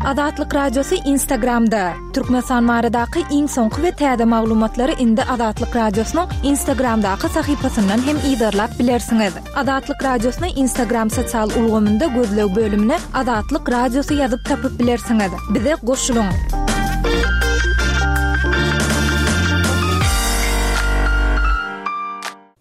Azatlyk Radiosy Instagramda! Türkmenistan baradaky iň soňky we täze maglumatlary indi Azatlyk Radiosynyň Instagramdaky sahypasyndan hem yzarlap bilersiňiz. Azatlyk Radiosyny Instagram sosial ulgamynda gözleg bölümine Azatlyk Radiosy ýazyp tapyp bilersiňiz. Bize goşulyň!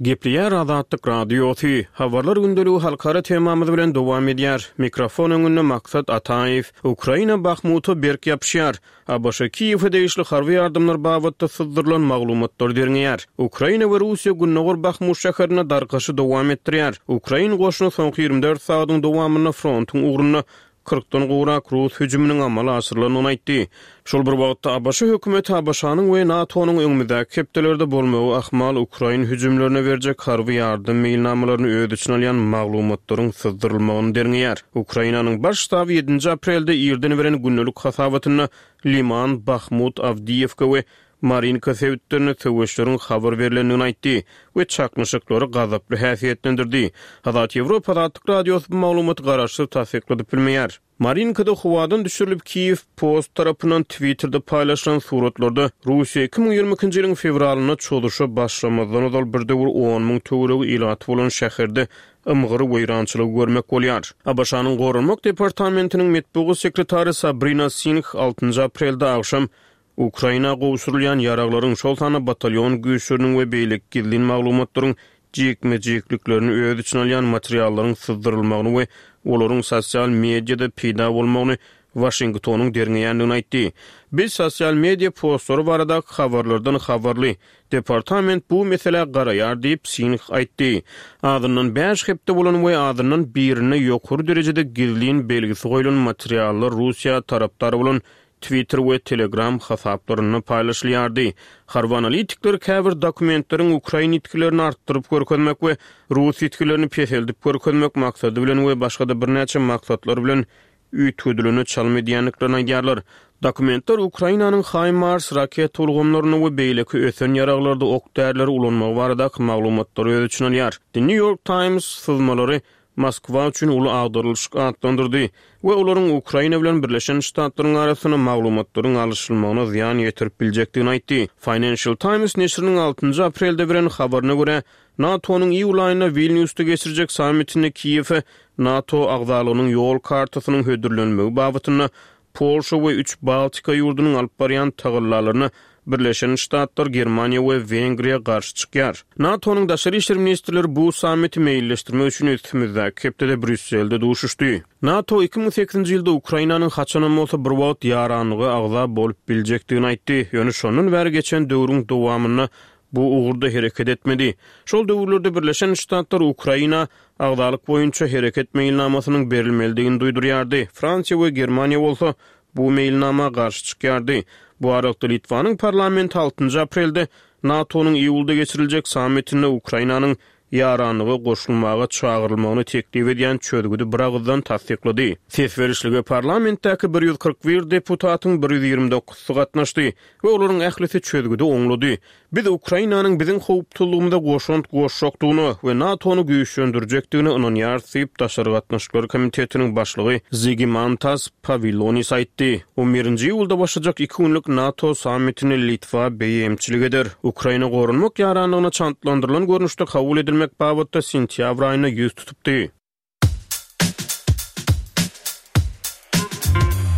Gepleýär Azatlyk Radiosy, Habarlar gündeligi halkara temamyz bilen dowam edýär. Mikrofon öňünde Maksat Ataýew. Ukraina Bahmuta berk ýapyşýar. ABŞ Kiýewe degişli harby ýardamlar babatda syzdyrylan maglumatlary derňeýär. Ukraina we Russiýa gündogar Bahmut şäherinde darkaşy dowam etdirýär. Ukrain goşuny soňky 24 sagadyň dowamynda frontuň ugrunda kyrkdan gowrak rus hüjüminiň amala aşyrylandygyny aýtdy. Şol bir wagtda, ABŞ hökümeti ABŞ-nyň we NATO-nyň öňümizdäki hepdelerde bolmagy ahmal ukrain hüjümlerine berjek harby ýardam meýilnamalaryny öz içine alýan maglumatlaryň syzdyrylmagyny derňeýär. Ukrainanyň Baş ştaby ýedinji aprelde irden beren gündelik hasabatynda Liman, Bahmut, Awdiýewka we Marinka sebitlerinde söweşleriň habar berlendigini aýtdy we çaknyşyklary gazaply häsiýetlendirdi. Azat Ýewropa Azatlyk Radiosy bu maglumaty garaşsyz tassykladyp bilmeýär. Marinkada howadan düşürilip Kiýew Post tarapyndan Twitterde paýlaşylan suratlarda Russiýa 2022-nji ýylyň fewralynda çozuşa başlamazdan ozal bir döwür on müň töweregi ilaty bolan şäherde ymgyr weýrançylygy görmek bolýar. ABŞ-nyň Goranmak departamentiniň metbugat sekretary Sabrina Singh altynjy aprelde agşam Ukraina gowşurylýan ýaraglaryň, şol sanda batalýon güýçleriniň we beýleki gizlin maglumatlaryň jikme-jikliklerini öz içine alýan materiallaryň syzdyrylmagyny we olaryň sosial mediada peýda bolmagyny Waşingtonyň derňeýändigini aýtdy. Biz sosial media postlary baradaky habarlardan habarly. Departament bu meselä garaýar diýip, Singh aýtdy. Azyndan bäş hepde bolan we azyndan birinde ýokary derejede gizlin belgisi goýlan materiallar Russiýa tarapdar bolan Twitter we Telegram hasaplarynda paýlaşylýardy. Harby analitikler käbir dokumentleriň ukrain ýitgilerini artdyryp görkezmek we rus ýitgilerini peseldip görkezmek maksady bilen we başga-da birnäçe maksatlar bilen üýtgedilene çalym edýändiklerini aýdýarlar. Dokumentler Ukrainanyň HIMARS raketa ulgamlarynda we beýleki ösen ýaraglarda ok-därileri ulanmagy baradaky maglumatlary öz içine alýar. The New York Times syzmalary Moskwa üçin uly agdarylyşyk atlandyrdy we olaryň Ukraina bilen Birleşen Ştatlaryň arasynda maglumatlaryň alyşylmagyna zyýan ýetirip biljekdigini aýtdy. Financial Times neşiriniň altynjy aprelde beren habaryna görä, NATO-nyň iýul aýynda Wilnýusda geçirjek sammitinde Kiýewe NATO agzalygynyň ýol kartasynyň hödürlenmegi babatynda Polşa we üç Baltika ýurdunyň alyp barýan tagallalaryna Birleşen Ştatlar, Germaniýa we Wengriýa garşy çykýar. NATO-nyň daşary işler ministrleri bu sammiti meýilleşdirmek üçin üstümizdäki hepdede Brýusselde duşuşdy. NATO 2008-nji ýylda Ukrainanyň haçanam bolsa bir wagt ýaranlyga agza bolup biljekdigini aýtdy, ýöne şondan bäri geçen döwrüň dowamynda bu ugurda hereket etmedi. Şol döwürlerde Birleşen Ştatlar Ukraina agzalyk boýunça hereket meýilnamasynyň berilmelidigini duýdurýardy, Fransiýa we Germaniýa bolsa bu meýilnama garşy çykýardy. Bu aralykda Litwanyň parlamenti altynjy aprelde NATO-nyň iýulda geçiriljek sammitinde Ukrainanyň ýaranlyga goşulmaga çagyrylmagyny teklip edýän çözgüdi biragyzdan tassyklady. Ses berişlige parlamentdäki 141 deputatyň 129-sy gatnaşdy we olaryň ählisi çözgüdi oňlady. Biz Ukrainanyň biziň howpsuzlygymyza goşant goşjakdygyna we NATO-ny güýçlendirjekdigine ynanýarys diýip, Daşary gatnaşyklar komitetiniň başlygy Zigimantas Pawilonis aýtdy. On birinji iýulda başlajak iki günlük NATO sammitine Litwa beýemçilik eder. Ukraina goranmak ýaranlygyna çantlandyrylan görnüşde kabul edilmek babatda sentýabr aýynda ýüz tutupdy.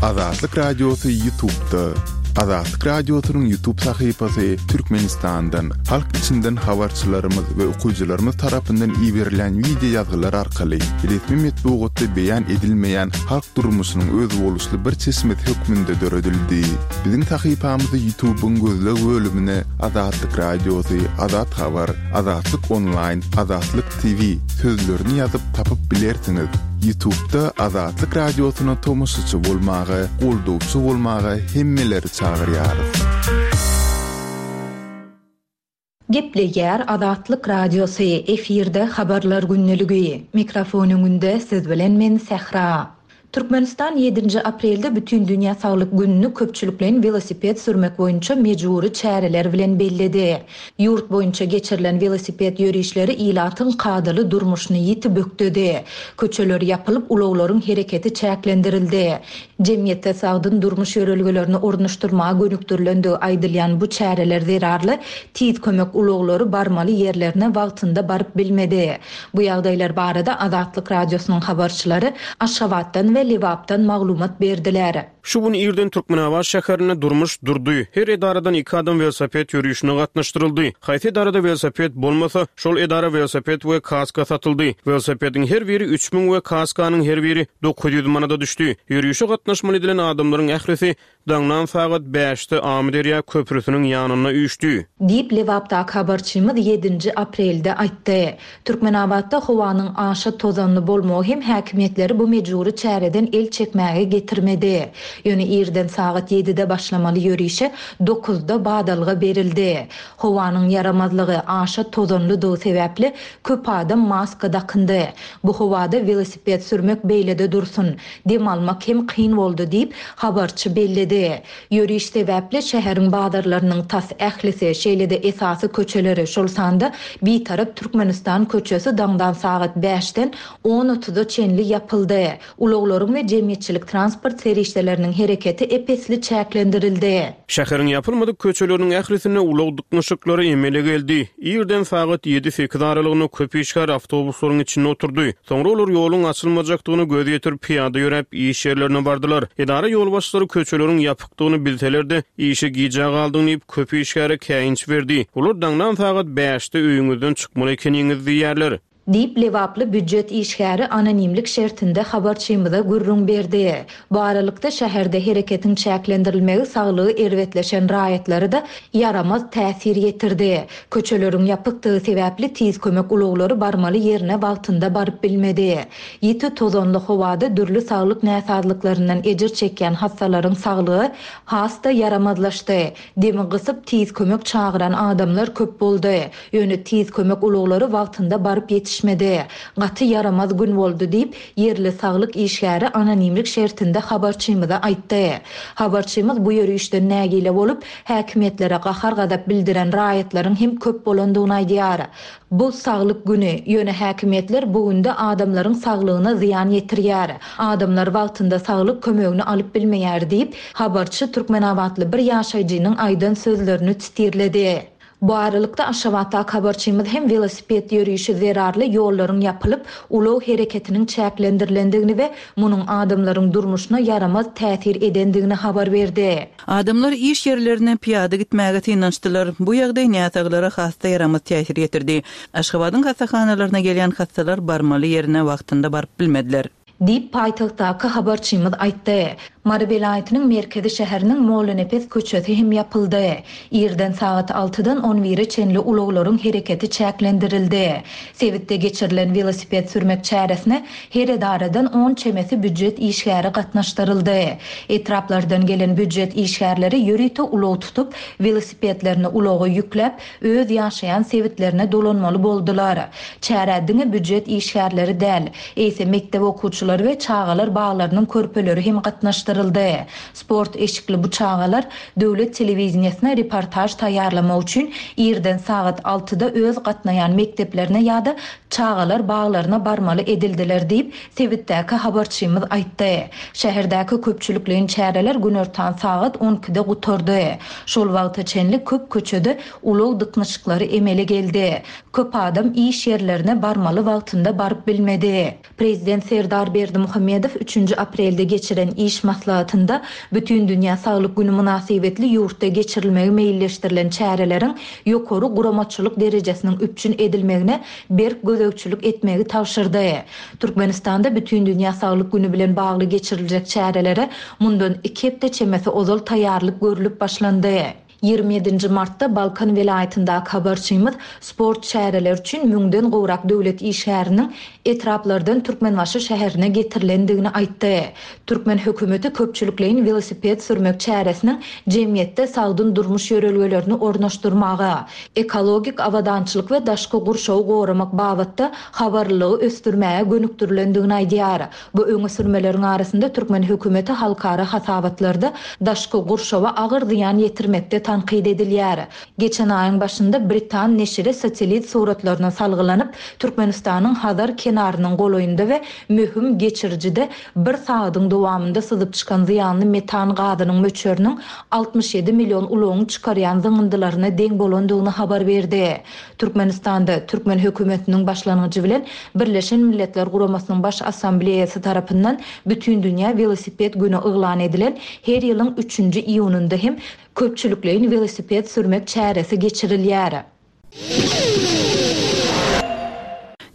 Azatlyk Radiosy Ýutubda. Azatlyk Radiosynyň Ýutub sahypasy Türkmenistandan, halk içinden habarçylarymyz we okyjylarymyz tarapyndan iberilen wideo ýazgylar arkaly resmi metbugatda beýan edilmeýän halk durmuşynyň özboluşly bir çeşmesi hökmünde döredildi. Biziň sahypamyzy Ýutubyň gözleg bölümine Azatlyk Radiosy, Azat Habar, Azatlyk Onlaýn, Azatlyk TV sözlerini ýazyp tapyp bilersiňiz. Ýutubda Azatlyk Radiosyna tomaşaçy bolmaga, goldawçy bolmaga hemmeleri çagyrýarys. Gepleýär Azatlyk Radiosy, efirde Habarlar gündeligi. Mikrofon öňünde siz bilen men Sähra. Türkmenistan ýedinji aprelde Bütindünýä saglyk gününi köpçülikleýin welosiped sürmek boýunça mejbury çäreler bilen belledi. Ýurt boýunça geçirilen welosiped ýörişleri ilatyň kadaly durmuşyny ýiti bökdedi. Köçeler ýapylyp, ulaglaryň hereketi çäklendirildi. Jemgyýetde sagdyn durmuş ýörelgelerini ornaşdyrmaga gönükdirilendigi aýdylýan bu çäreler zerarly Tiz kömek ulaglary barmaly ýerlerine wagtynda baryp bilmedi. Bu ýagdaýlar barada Azatlyk Radiosynyň habarçylary Aşgabatdan we Lebapdan maglumat berdiler. Şu gün irden Türkmenabat şäherinde durmuş durdy. Her edaradan iki adam welosiped ýörişine gatnaşdyryldy. Haýsy edarada welosiped bolmasa, şol edara welosiped we kaska satyldy. Welosipediň her biri 3000 we kaskanyň her biri 900 manada düşdi. Ýörişe gatnaşmaly edilen adamlaryň ählisi Daňdan sagat bäşde Amyderýa köprüsiniň ýanynda üýşdi. Diýip, Lebapdaky habarçymyz ýedinji aprelde aýtdy. Türkmenabatda howanyň aşa tozanly bolmagy hem häkimiýetleri bu mejbury çäreden el çekmäge getirmedi. Ýöne irden sagat ýedide başlamaly ýörişe dokuzda badalga berildi. Howanyň ýaramazlygy, aşa tozanlydygy sebäpli köp adam maska dakyndy. Bu howada welosiped sürmek beýlede dursun, dem almak hem kyn boldy diýip, habarçy belledi. Ýöriş sebäpli şäheriň bazarlarynyň tas ählisi, şeýle-de esasy köçeleri, şol sanda Bitarap Türkmenistan köçesi daňdan sagat bäşden on otuza çenli ýapyldy. Ulaglaryň we jemgyýetçilik transport serişdeleriniň hereketi ep-esli çäklendirildi. Şäheriň ýapylmadyk köçeleriniň ählisinde ulag dyknyşyklary emele geldi. Irden sagat ýedi-sekiz aralygynda köp işgär awtobuslaryň içinde oturdy. Soňra olar ýoluň açylmajakdygyna göz ýetirip, pyýada ýöräp, iş ýerlerine bardylar. Edara ýolbaşçylary köçeleriň ýapykdygyny bilseler-de, işe gijä galdyň diýip, köp işgäre käýinç berdi. Olar daňdan sagat bäşde öýüňizden çykmaly ekeniňiz diýýärler. Diýip, lebaply býujet işgäri anonimlik şertinde habarçymyza gürrüň berdi. Bu aralykda, şäherde hereketiň çäklendirilmegi saglygy erbetleşen raýatlara-da ýaramaz täsir ýetirdi. Köçeleriň ýapykdygy sebäpli tiz kömek ulaglary barmaly ýerine wagtynda baryp bilmedi. Ýiti tozanly howada dürli saglyk näsazlyklaryndan ejir çekýän hassalaryň saglygy has-da ýaramazlaşdy. Demi gysyp tiz kömek çagyran adamlar köp boldy. Ýöne tiz kömek ulaglary wagtynda baryp ýetişmedi. Gaty ýaramaz gün boldy diýip, ýerli saglyk işgäri anonimlik şertinde habarçymyza aýtdy. Habarçymyz bu ýörişden nägile bolup, häkimiýetlere gahar-gazap bildiren raýatlaryň hem köp bolandygyny aýdýar. Bu saglyk güni, ýöne häkimiýetler bu günde adamlaryň saglygyna zyýan ýetirýär. Adamlar wagtynda saglyk kömegini alyp bilmeýär diýip, habarçy türkmenabatly bir ýaşaýjynyň aýdan sözlerini sitirledi. Bu aralykda, Aşgabatdaky habarçymyz hem welosiped ýörişi zerarly ýollaryň ýapylyp, ulag hereketiniň çäklendirilendigini we munuň adamlaryň durmuşyna ýaramaz täsir edendigini habar berdi. Adamlar iş ýerlerine pyýada gitmäge synanyşdylar. Bu ýagdaý näsaglara has-da ýaramaz täsir ýetirdi. Aşgabadyň hassahanalaryna gelýän hassalar barmaly ýerine wagtynda baryp bilmediler. Diýip, paýtagtdaky habarçymyz aýtdy. Mary welaýatynyň merkezi şäheriniň Mollanepes köçesi hem ýapyldy. Irden sagat altydan on bire çenli ulaglaryň hereketi çäklendirildi. Sebitde geçirilen welosiped sürmek çäresine her edaradan on çemesi býujet işgäri gatnaşdyryldy. Etraplardan gelen býujet işgärleri ýörite ulag tutup, welosipedlerini ulaga ýükläp, öz ýaşaýan sebitlerine dolanmaly boldular. Çärä diňe býujet işgärleri däl, eýse mekdep okuwçylary we çagalar baglarynyň körpeleri hem gatnaşdyryldy. Sport eşikli bu çagalar döwlet telewideniýesine reportaž taýýarlamak üçin irden sagat altyda öz gatnaýan mekdeplerine ýa-da çagalar baglaryna barmaly edildiler diýip, sebitdäki habarçymyz aýtdy. Şäherdäki köpçülikleýin çäreler günortan sagat on ikide gutardy. Şol wagta çenli köp köçede ulag dyknyşyklary emele geldi. Köp adam iş ýerlerine barmaly wagtynda baryp bilmedi. Prezident Serdar Berdimuhamedow üçünji aprelde geçiren iş maslahatynda Bütindünýä saglyk güni mynasybetli ýurtda geçirilmegi meýilleşdirilen çäreleriň ýokary guramaçylyk derejesiniň üpjün edilmegine berk gözegçilik etmegi tabşyrdy. Türkmenistanda Bütindünýä saglyk güni bilen bagly geçiriljek çärelere mundan iki hepde çemesi ozal taýýarlyk görlüp başlandy. 27-nji martda Balkan welaýatyndaky habarçymyz sport çäreleri üçin müňden gowrak döwlet işgäriniň etraplardan Türkmenbaşy şäherine getirilendigini aýtdy. Türkmen hökümeti köpçülikleýin welosiped sürmek çäresiniň jemgyýetde sagdyn durmuş ýörelgelerini ornaşdyrmaga, ekologik abadançylyk we daşky gurşawy goramak babatda habarlylygy ösdürmäge gönükdirilendigini aýdýar. Bu öňe sürmeleriň arasynda türkmen hökümeti halkara hasabatlarda daşky gurşawa agyr zyýan ýetirmekde tankyt edilýär. Geçen aýyň başynda britan neşiri satellit suratlaryna salgylanyp, Türkmenistanyň Hazar kenarynyň golaýynda we möhüm geçirijide bir sagadyň dowamynda syzyp çykan zyýanly metan gazynyň möçberiniň 67 million ulagyň çykarýan zyňyndylaryna deň bolandygyny habar berdi. Türkmenistanda, türkmen hökümetiniň başlangyjy bilen Birleşen Milletler Guramasynyň Baş Assambleýasy tarapyndan Bütindünýä welosiped güni yglan edilen her ýylyň üçünji iýunynda hem köpçülikleýin welosiped sürmek çäresi geçirilýär.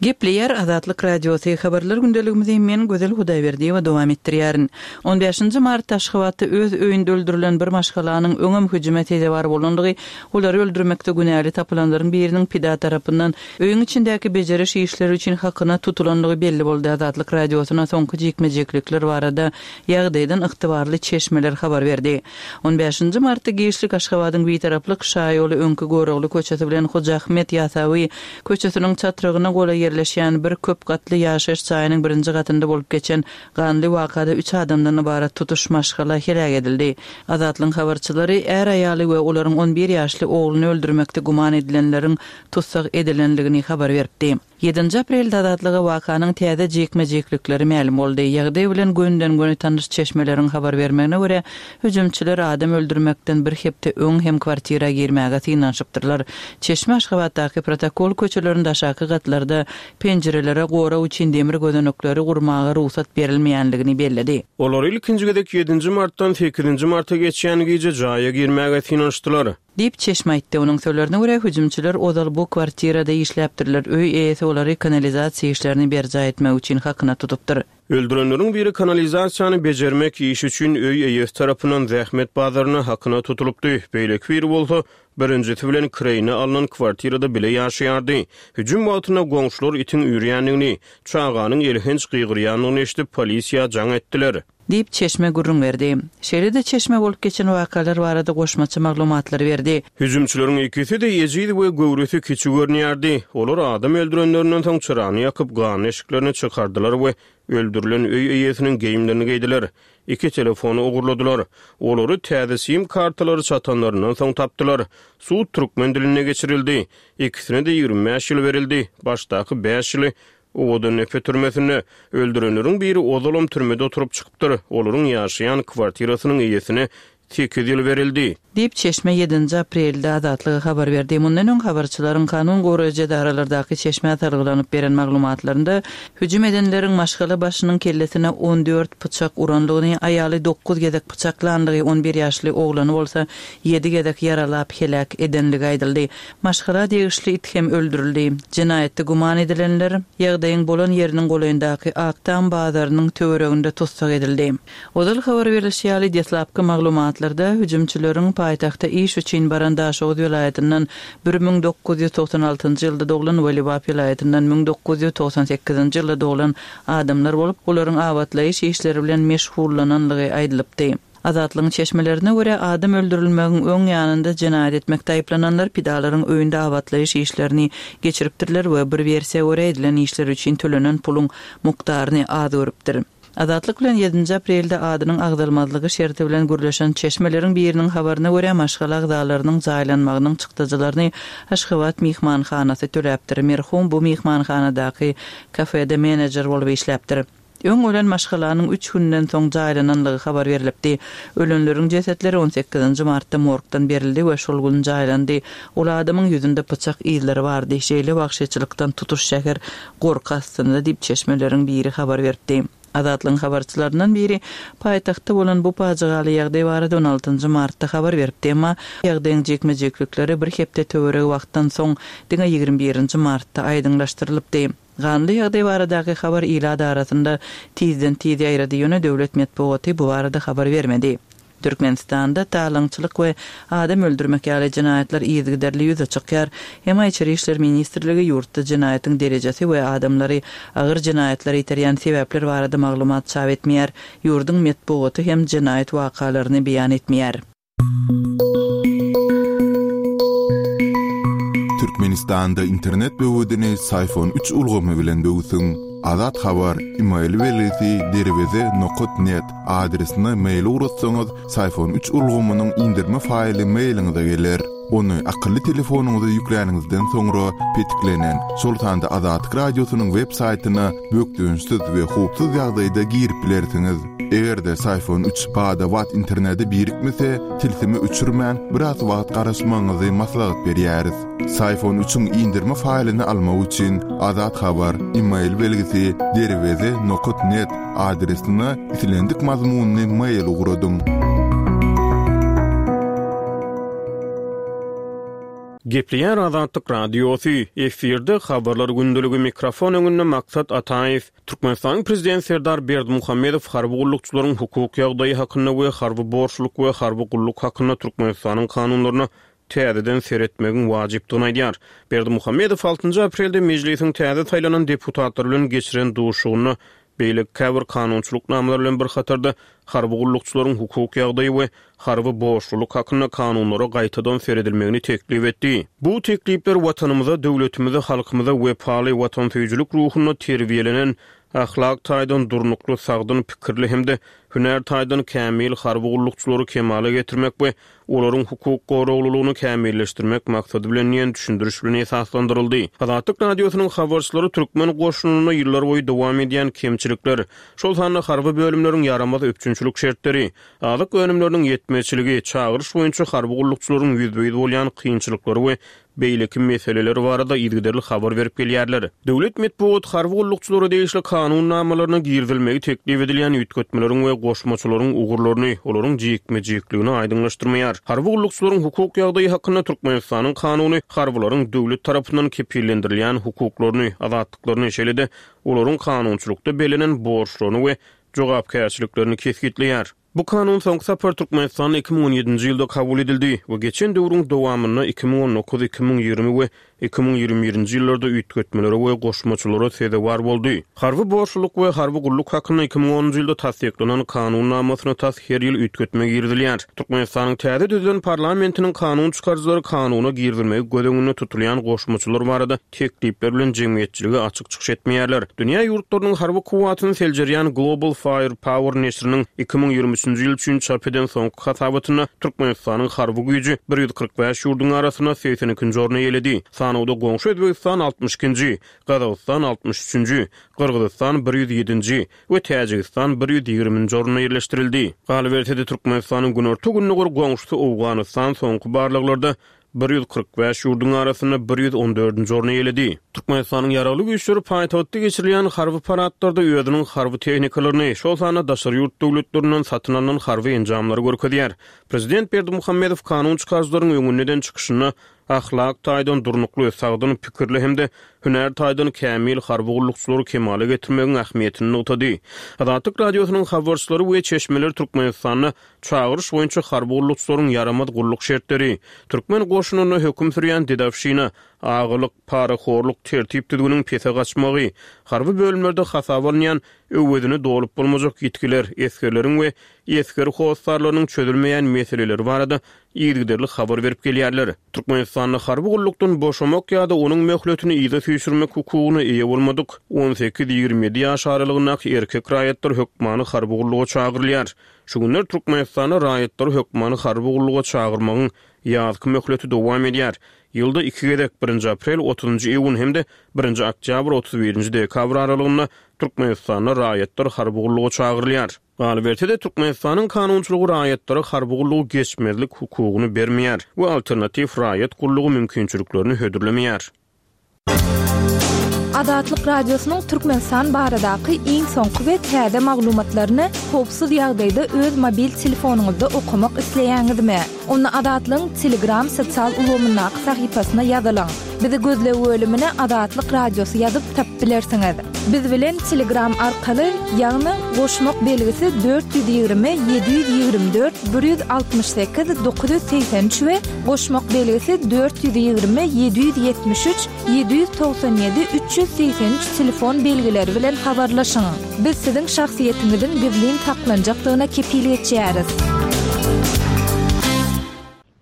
Gepleýär Azatlyk Radiosy, Habarlar gündeligimizi men Gözel Hudaýberdiýewa dowam etdirýärin. On bäşinji martda Aşgabatda öz öýünde öldürilen bir maşgalanyň öňem hüjüme sezewar bolandygy, olary öldürmekde günäli tapylanlaryň biriniň pida tarapyndan öýüň içindäki bejeriş işleri üçin hakyna tutulandygy belli boldy. Azatlyk Radiosyna soňky jikme-jiklikler barada ýagdaýdan ygtybarly çeşmeler habar berdi. On bäşinji martda giçlik Aşgabadyň Bitaraplyk şaýoly öňki Görogly köçesi bilen Hoja Ahmet Ýasawy köçesiniň çatrygyna golaý ýerleşýän bir köp gatly ýaşaýyş jaýynyň birinji gatynda bolup geçen ganly wakada üç adamdan ybarat tutuş maşgala heläk edildi. Azatlygyň habarçylary är-aýaly we olaryň on bir ýaşly ogluny öldürmekde güman edilenleriň tussag edilendigini habar beripdi. Ýedinji aprelde Azatlyga wakanyň täze jikme-jiklikleri mälim boldy. Ýagdaý bilen gönüden-göni tanyş çeşmeleriň habar bermegine görä, hüjümçiler adam öldürmekden bir hepde öň hem kwartira girmäge synanyşypdyrlar. Çeşme Aşgabatdaky protokol köçelerinde aşaky gatlarda penjirelere gorag üçin demir gözenekleri gurmaga rugsat berilmeýänligini belledi. Olar ilkinji gezek ýedinji martdan sekizinji marta geçýän gije jaýa girmäge synanyşdylar. Diýip, çeşme aýtdy. Onuň sözlerine görä, hüjümçiler ozal bu kwartirada işläpdirler, öý eýesi olary kanalizasiýa işlerini berjaý etmek üçin hakyna tutupdyr. Öldürenleriň biri kanalizasiýany bejermek işi üçin öý eýesi tarapyndan zähmet bazarynda hakyna tutulypdy, beýleki biri bolsa, birinjisi bilen kireýine alnan kwartirada bile ýaşaýardy. Hüjüm wagtynda goňşular itiň üýrýändigini, çaganyň elhenç gygyrýandygyny eşidip, polisiýa jaň etdiler. Diýip, çeşme gürrüň berdi. Şeýle-de çeşme bolup geçen wakalar barada goşmaça maglumatlary berdi. Hüjümçileriň ikisi-de ejiz we göwresi kiçi görünýärdi. Olar adam öldürenlerinden soň çyrany ýakyp, ganly eşiklerini çykardylar we öldürilen öý eýesiniň geýimlerini geýdiler. Iki telefony ogurladylar. Olary täze sim kartalary çatanlaryndan soň tapdylar. Sud türkmen dilinde geçirildi. Ikisine-de 25 ýyl berildi. Başdaky bäş ýyly Owadandepe türmesinde. Öldürenleriň biri ozalam türmede oturyp çykypdyr. Olaryň ýaşaýan kwartirasynyň eýesine sekiz ýyl berildi. Diýip, çeşme ýedinji aprelde Azatlyga habar berdi. Mundan öň habarçylaryň kanun goraýjy edaralardaky çeşmä salgylanyp beren maglumatlarynda, hüjüm edenleriň maşgala başynyň kellesine on dört pyçak urandygyny, aýaly dokuz gezek pyçaklandygy, on bir ýaşly oglany bolsa ýedi gezek ýaralap heläk edenligi aýdyldy. Maşgala degişli it hem öldürildi. Jenaýatda güman edilenler ýagdaýyň bolan ýeriniň golaýyndaky Ak Tam bazarynyň töwereginde tussag edildi. Ozal habar berlişi ýaly, deslapky maglumatlarda hüjümçileriň paýtagta iş üçin baran Daşoguz welaýatyndan 1996 ýylda doglan we Lebap welaýatyndan 1998 ýylda doglan adamlar bolup, olaryň abatlaýyş işleri bilen meşgullananlygy aýdylypdy. Azatlygyň çeşmelerine görä, adam öldürilmegiň öň ýanynda jenaýat etmekde aýyplananlar pidalaryň öýünde abatlaýyş işlerini geçiripdirler we bir wersiýa görä edilen işler üçin tölenen puluň mukdaryny az görüpdir. Azatlyk bilen ýedinji aprelde adynyň agzalmazlygy şerti bilen gürleşen çeşmeleriň biriniň habaryna görä, maşgala agzalarynyň jaýlanmagynyň çykdajylaryny Aşgabat myhmanhanasy töläpdir. Merhum bu myhmanhanadaky kafede menejer bolup işläpdir. Öň ölen maşgalanyň üç günden soň jaýlananlygy habar berlipdi. Ölenleriň jesetleri on sekizinji martda morgdan berildi we şol gün jaýlandy. Ol adamyň ýüzünde pyçak yzlary bardy. Şeýle wagşyçylykdan tutuş şäher gorky astynda diýip, çeşmeleriň biri habar beripdi. Azatlygyň habarçylaryndan biri paýtagtda bolan bu pajygaly ýagdaý barada on altynjy martda habar beripdi, emma ýagdaýyň jikme-jiklikleri bir hepde töweregi wagtdan soň, diňe ýigrimi birinji martda aýdyňlaşdyrylypdy. Ganly ýagdaý baradaky habar ilat arasynda tizden-tiz ýaýrady, ýöne döwlet metbugaty bu barada habar bermedi. Türkmenistanda talaňçylyk we adam öldürmek ýaly jenaýatlar yzygiderli ýüze çykýar. Emma Içeri işler ministrligi ýurtda jenaýatyň derejesi we adamlary agyr jenaýatlara iterýän sebäpler barada maglumat çap etmeýär. Ýurduň metbugaty hem jenaýat wakalaryny beýan etmeýär. Türkmenistanda internet böwedini Syfon üç ulgamy bilen böwsüň. Azat Habar, email belgisi derweze nokat net adresine mail ugratsaňyz, Syfon üç ulgamynyň indirme faýly mailiňize geler. Ony akylly telefonyňyza ýükläniňizden soňra petiklenen, şol sanda Azatlyk Radiosynyň web saýtyna bökdençsiz we howpsuz ýagdaýda girip bilersiňiz. Eger-de Syfon üç bada-bat internete birikmese, tilsimi öçürmän, biraz wagt garaşmagyňyzy maslahat berýäris. Syfon üçiň indirme faýlyny almak üçin Azat Habar, email belgisi, derweze nokat net adresine islendik mazmunly mail ugradyň. Gepleýär Azatlyk Radiosy, efirde Habarlar gündeligi mikrofon öňünde Maksat Ataýew. Türkmenistanyň Prezidenti Serdar Berdimuhamedow harby gullukçylaryň hukuk ýagdaýy hakynda we harby borçluk we harby gulluk hakynda Türkmenistanyň kanunlaryna täzeden seretmegiň wajypdygyny aýdýar. Berdimuhamedow altynjy aprelde Mejlisiň täze saýlanan deputatlary bilen geçiren duşuşygynda beýleki käbir kanunçylyk namalary bilen bir hatarda harby gullukçylaryň hukuk ýagdaýy we harby borçlulyk hakynda kanunlara gaýtadan seredilmegini teklip etdi. Bu teklipler Watanymyza, döwletimize, halkymyza wepaly, watansöýüjilik ruhunda terbiýelenen, ahlak taýdan durnukly, sagdyn pikirli hem-de hünär taýdan kämil harby gullukçylary kemala getirmek we olaryň hukuk goraglylygyny kämilleşdirmek maksady bilen diýen düşündiriş bilen esaslandyryldy. Azatlyk Radiosynyň habarçylary türkmen goşunynda ýyllarboýy dowam edýän kemçilikler, şol sanda harby bölümleriň ýaramaz üpjünçilik şertleri, azyk önümleriniň ýetmezçiligi, çagyryş boýunça harby gullukçylaryň ýüzbe-ýüz bolýan kynçylyklary we beýleki meseleler barada yzygiderli habar berip gelýärler. Döwlet metbugat harby gullukçylara degişli kanun namalaryna girizilmegi teklip edilýän üýtgetmeleriň we goşmaçalaryň ugurlaryny, olaryň jikme-jikligini aýdyňlaşdyrmaýar. Harby gullukçylaryň hukuk ýagdaýy hakynda Türkmenistanyň Kanuny harbylaryň döwlet tarapyndan kepillendirilýän hukuklaryny, azatlyklaryny, şeýle-de olaryň kanunçylykda bellenen borçlaryny we jogapkärçiliklerini kesgitleýär. Bu kanun soňky sapar Türkmenistanda 2017-nji ýylda kabul edildi we geçen döwrüň dowamynda 2019, 2020 we 2021-nji ýyllarda üýtgetmelere we goşmaçalara sezewar boldy. Harby borçlulyk we harby gulluk hakynda 2010-njy ýylda tassyklanan kanun namasyna tas her ýyl üýtgetme girizilýär. Türkmenistanyň täze düzülen parlamentiniň kanun çykaryjylary kanuna girizilmegi göz öňünde tutulýan goşmaçalar barada teklipler bilen jemgyýetçilige açyk çykyş etmeýärler. Dünýä ýurtlarynyň harby kuwwatyny seljerýän Global Fire Power neşiriniň 2023-nji ýyl üçin çap eden soňky hasabatynda Türkmenistanyň harby güýji 145 ýurduň arasynda segsen ikinji orny eýeledi. Sanawda goňşy Özbegistan altmyş ikinji, Gazagystan altmyş üçünji, Gyrgyzystan bir ýüz ýedinji we Täjigistan bir ýüz ýigriminji orunda ýerleşdirildi. Galyberse-de, Türkmenistanyň günorta-gündogar goňşusy Owganystan soňky barlaglarda 145 ýurduň arasynda 114-nji orny eýeledi. Türkmenistanyň Ýaragly Güýçleri paýtagtda geçirilýän harby paradlarda özüniň harby tehnikalaryny, şol sanda daşary ýurt döwletlerinden satyn alnan harby enjamlary görkezýär. Prezident Berdimuhamedow kanun çykaryjylaryň öňünde eden çykyşynda ahlak taýdan durnukly, sagdyn pikirli hem-de hünär taýdan kämil harby gullukçylary kemala getirmegiň ähmiýetini nygtady. Azatlyk Radiosynyň habarçylary we çeşmeleri Türkmenistanda Çagyryş boýunça harby gullukçylaryň ýaramaz gulluk şertleri, türkmen goşunynda höküm sürýän dedowşina, agalyk, parahorluk, tertip-düzgüniň pese gaçmagy, harby bölümlerde hasaba alynýan öwezini dolup bolmajak ýitgiler, esgerleriň we esger hossarlarynyň çözülmeýän meseleleri barada yzygiderli habar berip gelýärler. Türkmenistanda harby gullukdan boşamak ýa-da onuň möhletini yza süýşürmek hukugyna eýe bolmadyk on sekiz-ýigrimi ýedi ýaş aralygyndaky erkek raýatlar hökmany harby gulluga çagyrylýar. Şu günler Türkmenistanda raýatlary hökmany harby gulluga çagyrmagyň ýazky möhleti dowam edýär. Ýylda iki gezek, birinji aprel, otuzynjy iýun hem-de birinji oktýabr, otuz birinji dekabr aralygynda Türkmenistanda raýatlar harby gulluga çagyrylýar. Galyberse-de, Türkmenistanyň kanunçylygy raýatlara harby gullugy geçmezlik hukugyny bermeýär we alternatiw raýat gullugy mümkinçiliklerini hödürlemeýär. Azatlyk Radiosynyň Türkmenistan baradaky iň soňky we täze maglumatlaryny howpsuz ýagdaýda öz mobil telefonyňyzda okamak isleýäňizmi? Onda Azatlygyň Telegram sosial ulgamyndaky sahypasyna ýazylyň. Bizi gözleg bölümine Azatlyk Radiosy ýazyp tapyp bilersiňiz. Biz bilen Telegram arkaly, ýagny goşmak belgisi 420 724 168 983 we goşmak belgisi 420 773 797 383 telefon belgileri bilen habarlaşyň. Biz siziň şahsyýetiňiziň gizlin saklanjakdygyna kepil geçýäris.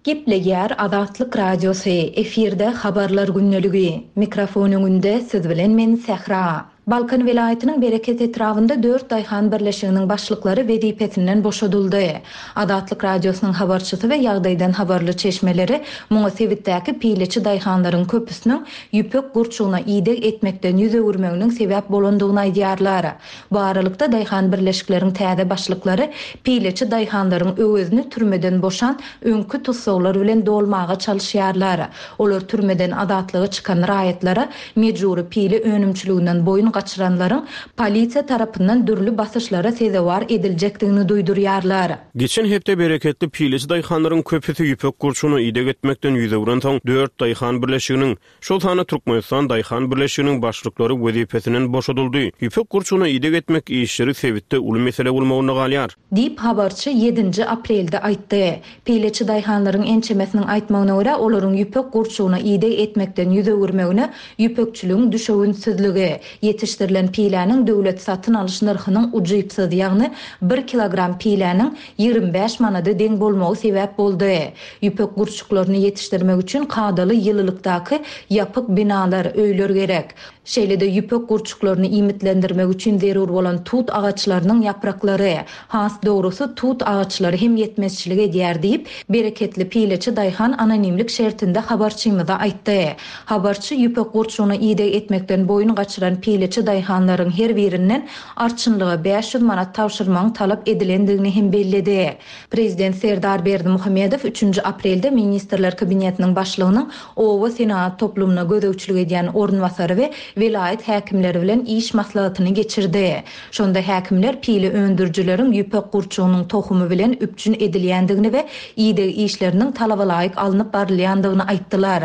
Gepleýär Azatlyk Radiosy, efirde Habarlar gündeligi. Mikrofon öňünde siz bilen men Sähra. Balkan welaýatynyň Bereket etrabynda dört daýhan birleşiginiň başlyklary wezipesinden boşadyldy. Azatlyk Radiosynyň habarçysy we ýagdaýdan habarly çeşmeleri muňa sebitdäki pileçi daýhanlaryň köpüsiniň ýüpek gurçugyna ideg etmekden ýüz öwürmeginiň sebäp bolandygyny aýdýarlar. Bu aralykda, daýhan birleşikleriň täze başlyklary pileçi daýhanlaryň öwezini türmeden boşan öňki tussaglar bilen dolmaga çalyşýarlar. Olar türmeden azatlyga çykan raýatlara mejbury pile önümçiliginden boýun gaçyranlaryň polisiýa tarapyndan dürli basyşlara sezewar ediljekdigini duýdurýarlar. Geçen hepde bereketli pileçi daýhanlaryň köpüsi ýüpek gurçugyna ideg etmekden ýüz öwrensoň, dört daýhan birleşiginiň, şol sanda Türkmenistan daýhan birleşiginiň başlyklary wezipesinden boşadyldy. Ýüpek gurçugyna ideg etmek işleri sebitde uly mesele bolmagynda galýar. Diýip, habarçy ýedinji aprelde aýtdy. Pileçi daýhanlaryň ençemesiniň aýtmagyna görä, olaryň ýüpek gurçugyna ideg etmekden ýüz öwürmegine ýüpekçiligiň düşewüntsizligi, ýetişdirilen piläniň döwlet satyn alyş nyrhynyň ujypsyz, ýagny bir kilogram piläniň 25 manada deň bolmagy sebäp boldy. Ýüpek gurçuklaryny ýetişdirmek üçin kadaly ýylylykdaky ýapyk binalar, öýler gerek. Şeýle-de ýüpek gurçuklaryny iýmitlendirmek üçin zerur bolan tut agaçlarynyň ýapraklary, has dogrusy tut agaçlary hem ýetmezçilik edýär diýip, bereketli pileçi daýhan anonimlik şertinde habarçymyza aýtdy. Habarçy ýüpek gurçugyna ideg etmekden boýun gaçyran pileçi daýhanlaryň her birinden arçynlyga 500 manat tabşyrmagyň talap edilendigini hem belledi. Prezident Serdar Berdimuhamedow üçünji aprelde Ministrler Kabinetiniň Başlygynyň oba senagat toplumyna gözegçilik edýän orunbasary we welaýat häkimleri bilen iş maslahatyny geçirdi. Şonda häkimler pile öndürijileriň ýüpek gurçugynyň tohumy bilen üpjün edilýändigini we ideg işleriniň talabalaýyk alnyp barylýandygyny aýtdylar.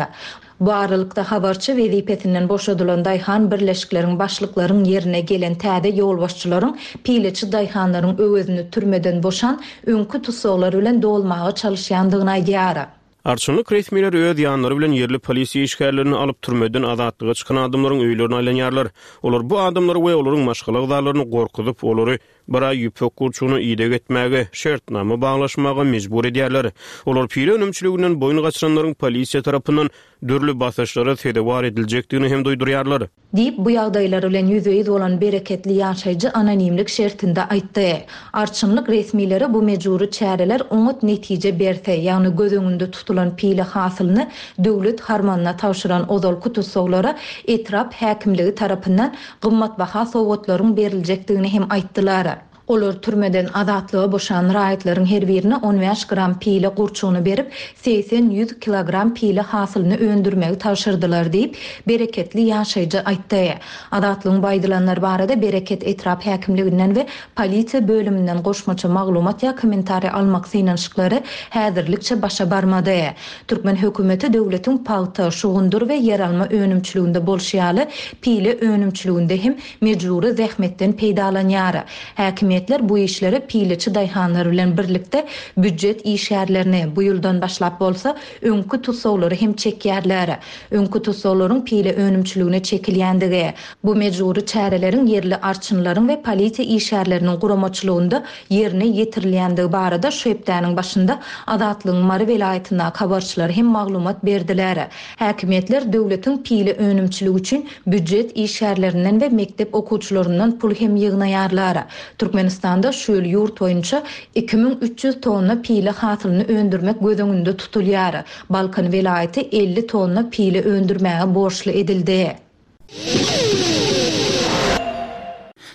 Bu aralykda habarçy wezipesinden boşadylan daýhan birleşikleriň başlyklaryň ýerine gelen täze ýolbaşçylaryň pileçi daýhanlaryň öwezini türmeden boşan öňki tussaglar bilen dolmaga çalyşýandygyny aýdýar. Arçynlyk resmileri öz ýanlary bilen ýerli polisiýa işgärlerini alyp, türmeden azatlyga çykan adamlaryň öýlerine aýlanýarlar. Olar bu adamlary we olaryň maşgala agzalaryny gorkuzyp, olary bir aý ýüpek gurçugyna ideg etmäge, şertnama baglaşmaga mejbur edýärler. Olar pile önümçiliginden boýun gaçyranlaryň polisiýa tarapyndan dürli basyşlara sezewar ediljekdigini hem duýdurýarlar. Diýip, bu ýagdaýlar bilen ýüzbe-ýüz bolan bereketli ýaşaýjy anonimlik şertinde aýtdy. Arçynlyk resmileri bu mejbury çäreler oňat netije berse, ýagny göz öňünde tutulan pile hasylyny döwlet harmanyna tabşyran ozalky tussaglara etrap häkimligi tarapyndan gymmatbaha sowgatlaryň beriljekdigini hem aýtdylar. Olar türmeden azatlyga boşan raýatlaryň her birine on bäş gram pile gurçugyny berip, segsen-ýüz kilogram pile hasylyny öndürmegi tabşyrdylar diýip, bereketli ýaşaýjy aýtdy. Azatlygyň bu aýdylanlar barada Bereket etrap häkimliginden we polisiýa bölüminden goşmaça maglumat ýa kommentariý almak synanyşyklary häzirlikçe başa barmady. Türkmen hökümeti döwletiň pagta, şugundyr we ýeralma önümçiliginde bolşy ýaly, pile önümçiliginde hem mejbury zähmetden peýdalanýar. Häkimiýetler bu işlere pileçi daýhanlar bilen birlikde býujet işgärlerini, bu ýyldan başlap bolsa, öňki tussaglary hem çekýärler. Öňki tussaglaryň pile önümçiligine çekilýändigi, bu mejbury çäreleriň ýerli arçynlaryň we polisiýa işgärleriniň guramaçylygynda ýerine ýetirilýändigi barada şu hepdäniň başynda Azatlygyň Mary welaýatyndaky habarçylary hem maglumat berdiler. Häkimiýetler döwletiň pile önümçiligi üçin býujet işgärlerinden we mekdep okuwçylaryndan pul hem ýygnaýarlar. Türkmenistanda şu ýyl ýurt boýunça 2300 tonna pile hasylyny öndürmek göz öňünde tutulýar. Balkan welaýaty 50 tonna pile öndürmäge borçly edildi.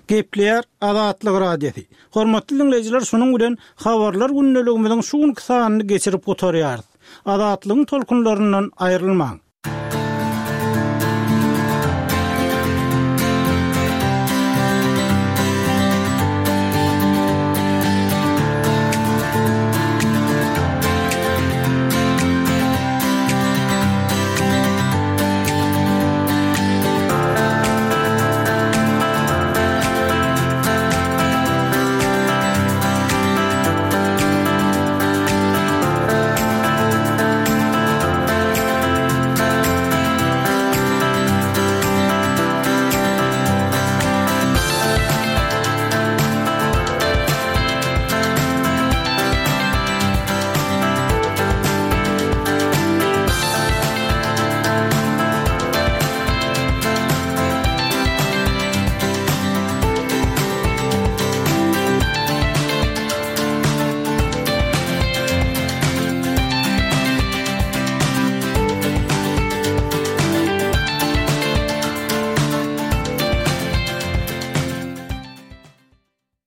Gepleýär Azatlyk Radiosy. Hormatly diňleýjiler şunuň bilen Habarlar gündeligimiziň şu günki sanyny geçirip gutarýarys. Azatlygyň tolkunlaryndan aýrylmaň!